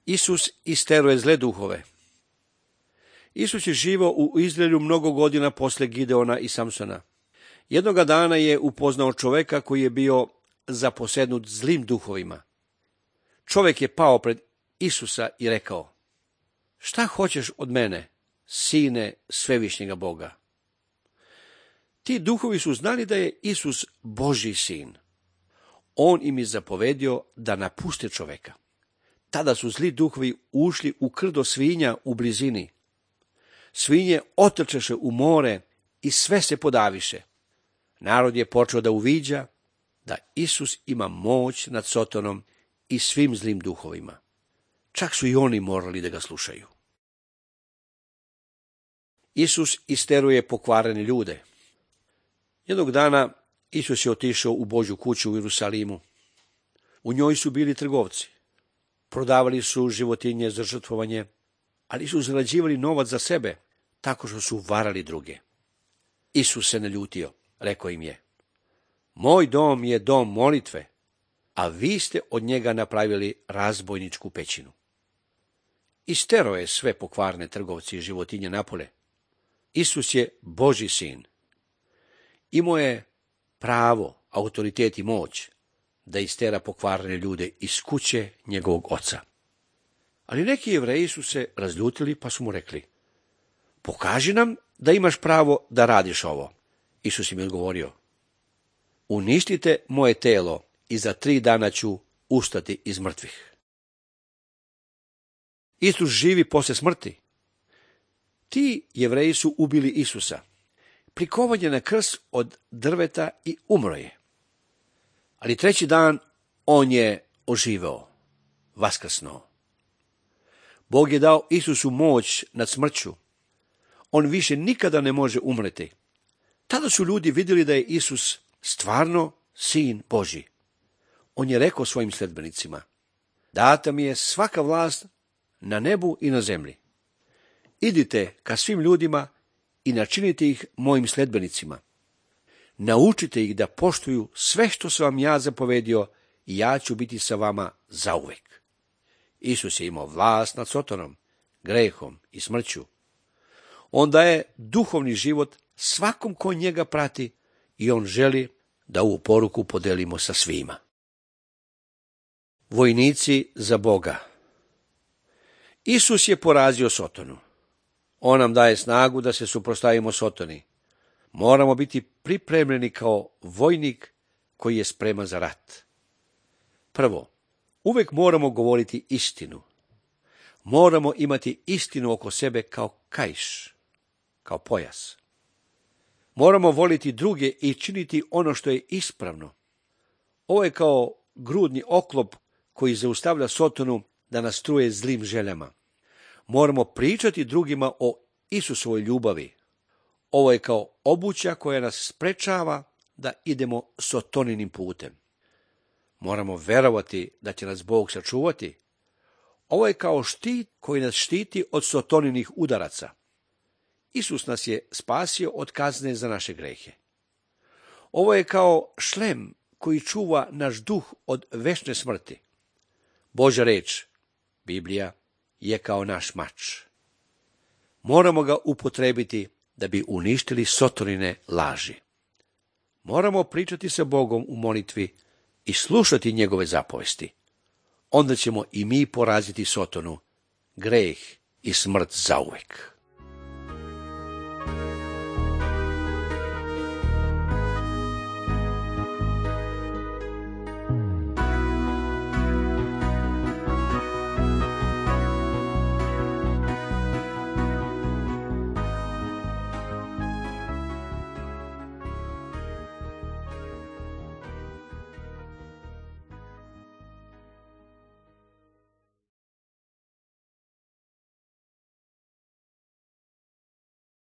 Isus isteruje zle duhove. Isus je živio u Izraelju mnogo godina posle Gideona i Samsona. Jednoga dana je upoznao čoveka koji je bio zaposednut zlim duhovima. Čovek je pao pred Isusa i rekao: "Šta hoćeš od mene, sine svevišnjega Boga?" Ti duhovi su znali da je Isus Božji sin. On im je zapovedio da napuste čoveka. Tada su zli duhovi ušli u krdo svinja u blizini. Svinje otrčeše u more i sve se podaviše. Narod je počeo da uviđa da Isus ima moć nad Sotonom i svim zlim duhovima. Čak su i oni morali da ga slušaju. Isus isteruje pokvarene ljude. Jednog dana Isus je otišao u Božju kuću u Jerusalimu. U njoj su bili trgovci. Prodavali su životinje za žrtvovanje, ali su zarađivali novac za sebe, tako što su varali druge. Isus se naljutio, rekao im je: "Moj dom je dom molitve, a vi ste od njega napravili razbojničku pećinu." Isterao je sve pokvarne trgovci i životinje napolje. Isus je Božji sin. Imao je pravo, autoritet i moć da istera pokvarene ljude iz kuće njegovog oca. Ali neki Jevreji su se razljutili pa su mu rekli: "Pokaži nam da imaš pravo da radiš ovo." Isus im je odgovorio: "Uništite moje telo i za 3 dana ću ustati iz mrtvih." Isus živi posle smrti. Ti Jevreji su ubili Isusa. Prikovan je na krst od drveta i umro je. Ali 3. dan on je oživeo, vaskrsnuo. Bog je dao Isusu moć nad smrću. On više nikada ne može umreti. Tada su ljudi vidjeli da je Isus stvarno sin Božji. On je rekao svojim sledbenicima: "Data mi je svaka vlast na nebu i na zemlji. Idite ka svim ljudima i načinite ih mojim sledbenicima. Naučite ih da poštuju sve što sam vam ja zapovedio i ja ću biti sa vama zauvek." Isus je imao vlast nad Sotonom, grehom i smrću. On daje duhovni život svakom ko njega prati i on želi da ovu poruku podelimo sa svima. Vojnici za Boga. Isus je porazio Sotonu. On nam daje snagu da se suprotstavimo Sotoni. Moramo biti pripremljeni kao vojnik koji je spreman za rat. Prvo, uvek moramo govoriti istinu. Moramo imati istinu oko sebe kao kaiš, kao pojas. Moramo voliti druge i činiti ono što je ispravno. Ovo je kao grudni oklop koji zaustavlja Sotonu da nas truje zlim željama. Moramo pričati drugima o Isusovoj ljubavi. Ovo je kao obuća koja nas sprečava da idemo Sotoninim putem. Moramo verovati da će nas Bog sačuvati. Ovo je kao štit koji nas štiti od Sotoninih udaraca. Isus nas je spasio od kazne za naše grehe. Ovo je kao šlem koji čuva naš duh od večne smrti. Božja reč, Biblija, je kao naš mač. Moramo ga upotrebiti da bi uništili Sotonine laži. Moramo pričati sa Bogom u molitvi i slušati njegove zapovesti. Onda ćemo i mi poraziti Sotonu, greh i smrt zauvek.